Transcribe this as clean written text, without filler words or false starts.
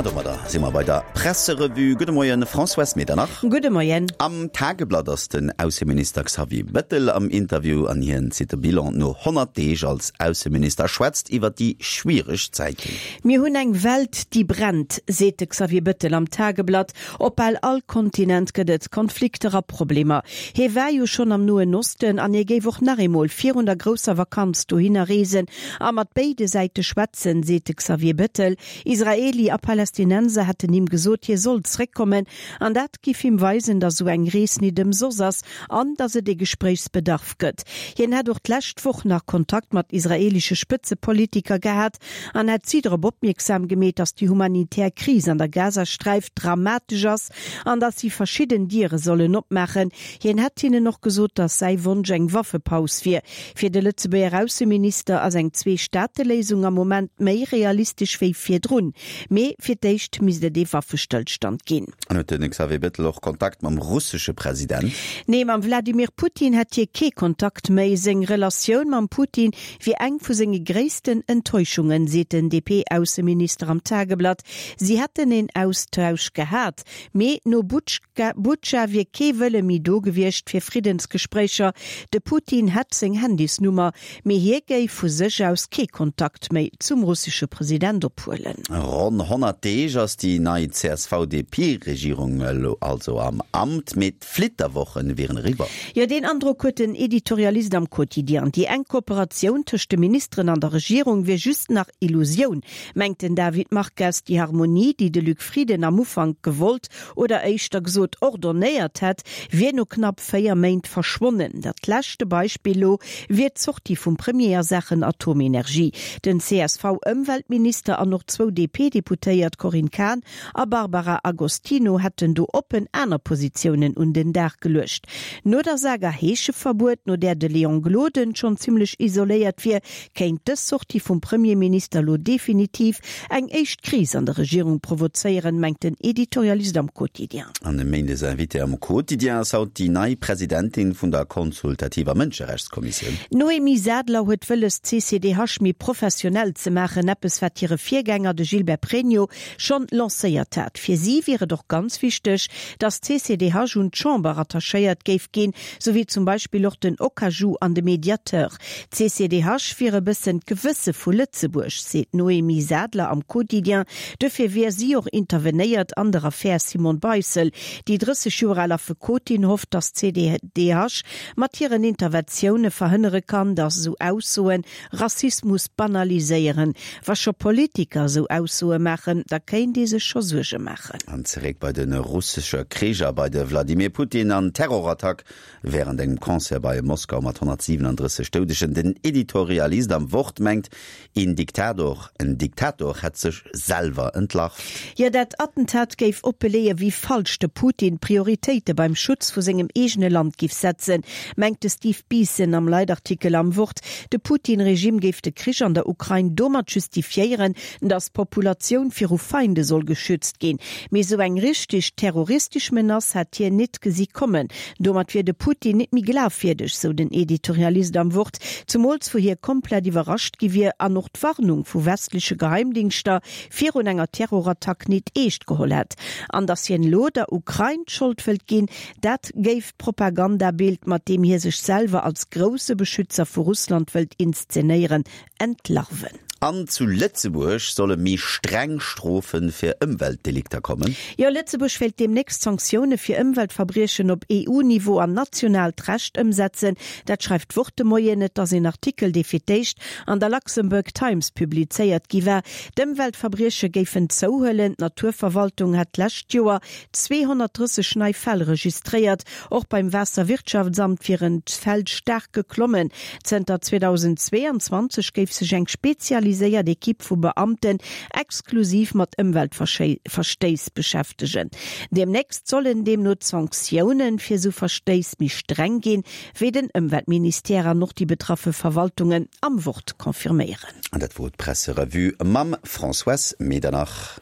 An domadder si mer bei der Presserevue. Gudde Moien, Françoise Medernach. Gudde Moien. Am Tageblatt ass den Ausseminister Xavier Bettel am Interview an hien zitt de Bilan no 100 Deeg als Ausseminister a schwätzt iwwer déi schwiereg Zäiten. Mir hunn eng Welt, déi brennt, seet de Xavier Bettel am Tageblatt. Op bal all Kontinent gëtt et Konflikter a Problemer. Hie war jo schonn am Noen Osten an hie géif och nach eemol virun der grousser Vakanz dohinner reesen a mat béide Säite schwätzen, seet de Xavier Bettel. Israeli a Palästinenser hätten him gesot, hie soll zréckkommen an dat giff him weisen, datt esou eng Rees nit ëmsoss ass an datt et ee Gespréichsbedarf gëtt. Hien hätt och d'lescht Woch nach Kontakt mat israelische Spëtzepolitiker gehat an hätt si drop opmierksam gemeet, datt déi humanitär Kris an der Gazasträif dramatesch ass an datt si verschidden Diere sollen opmaachen. Hien hätt hinnen och gesot, datt säi Wonsch eng Waffepaus wier. Fir de Lëtzebuerger Ausseminister ass eng Zwee-Staate-Léisung am Moment méi realistesch wéi virdrun. Mee fir d'éischt misst et ee Waffestëllstand ginn. An huet de Xavier Bettel och Kontakt mam russesche President? Nee, mam Wladimir Putin hätt hie kee Kontakt méi. Seng Relatioun mam Putin wier eng vu senge gréissten Enttäuschungen, seet den DP-Ausseminister am Tageblatt. Si hätten een Austausch gehat, mee no Butscha wier kee Wëlle méi do gewiescht fir Friddensgespréicher. De Putin hätt seng Handysnummer, mee hie géif vu sech aus kee Kontakt méi zum russesche President ophuelen. Ronn 100 Deeg ass déi nei CSV-DP-Regierung elo also am Amt, mee d'Flitterwochen wieren eriwwer. Jo, deen Androck huet den Editorialist am Quotidien. Déi enk Kooperatioun tëscht de Ministeren an der Regierung wier just nach Illusioun, mengt den David Marques. Déi Harmonie, déi de Luc Frieden am Ufank gewollt oder éischter gesot ordonnéiert hätt, wier no knapp 4 Méint verschwonnen. Dat leschte Beispill lo wier d'Sortie vum Premier a Saachen Atomenergie. Den CSV-Ëmweltminister an och zwou DP-Deputéiert, Corinne Cahen a Barbara Agostino, hätten do oppen aner Positiounen un den Dag geluecht. No der Saga Heescheverbuet, no där de Léon Gloden schonn zimmlech isoléiert wier, Kéint dës Sortie vum Premierminister lo definitiv eng éischt Kris an der Regierung provozéieren, mengt den Editorialist am Quotidien. An e Méindes Invitée am Quotidien ass haut déi nei Presidentin vun der consultativer Mënscherechtskommissioun. D'Noémie Sadler huet wëlles, d'CCDH méi professionell ze maachen, eppes wat hire Virgänger, de Gilbert Pregno, schonn lancéiert hat. Fir si wier et och ganz wichteg, datt d'CCDH un d'Chamber rattachéiert géif ginn, sou wéi zum Beispill och den Okaju an de Mediateur. D'CCDH wier e bëssen d'Gewësse vu Lëtzebuerg, seet d'Noémie Sadler am Quotidien. Dofir wier si och intervenéiert an der Affär Simone Beissel. Déi 30 Joer al Affekotin hofft, datt d'CDH mat hiren Interventioune verhënnere kann, datt esou Aussoe Rassismus banaliséieren. Wa scho Politiker esou Aussoe maachen, da kéint ee sech scho Suerge maachen. An zeréck bei de russesche Krich a bei de Vladimir Putin an d'Terrorattack Wärend engem Concert bei Moskau mat 137 Doudegen. Den Editorialist am Wort mengt, een Diktator, en Diktator hätt sech selwer entlarvt. Jo, dat Attentat géif oppeleeë wéi falsch de Putin d'Prioritéite beim Schutz vu sengem eegene Land giff setzen, mengt de Steve Beeson am Leitartikel am Wort. De Putin-Regime géif de Krich an der Ukrain domat justifiéieren, datt d'Populatioun viru Feinde soll geschützt ginn. Mee sou eng richteg terroristesch Menace hätt hien nit gesi kommen. Domat wier de Putin nit méi glafwierdeg, sou den Editorialist am Wort, zemools wou hie komplett iwwerrascht gi wier an och d'Warnung vu westleche Geheimdingschter virun enger Terrorattack nit eescht geholl hätt. An datt hien elo der Ukrain d'Schold wëllt ginn, dat géif d'Propagandabild, mat deem hie sech selwer als grousse Beschützer vu Russland wëllt inszenéieren, entlarven. An zu Lëtzebuerg solle méi streng Strofe fir Ëmweltdelikter kommen. Jo, Lëtzebuerg wéilt deemnächst Sanktioune fir Ëmweltverbriechen op EU-Niveau an nationaalt Recht ëmsetzen. Dat schreift d'Wort de Moien. Et ass een Artikel, dee fir d'éischt an der Luxembourg Times publizéiert gi war. D'Ëmweltverbrieche géifen zouhuelen. D'Naturverwaltung hätt d'lescht Joer 230 nei Fäll registréiert. Och beim Waasserwirtschaftsamt wieren d'Fäll staark geklommen. Zënter 2022 géif sech eng spezialiséiert Ekipp vu Beamten exklusiv mat Ëmweltverstéiss beschäftegen. Deemnächst sollen deemno d'Sanktioune fir esou Verstéiss méi streng ginn, wéi den Ëmweltministère an och déi betraffe Verwaltungen am Wort confirméieren. An dat wor d'Presserevue mam Françoise Medernach.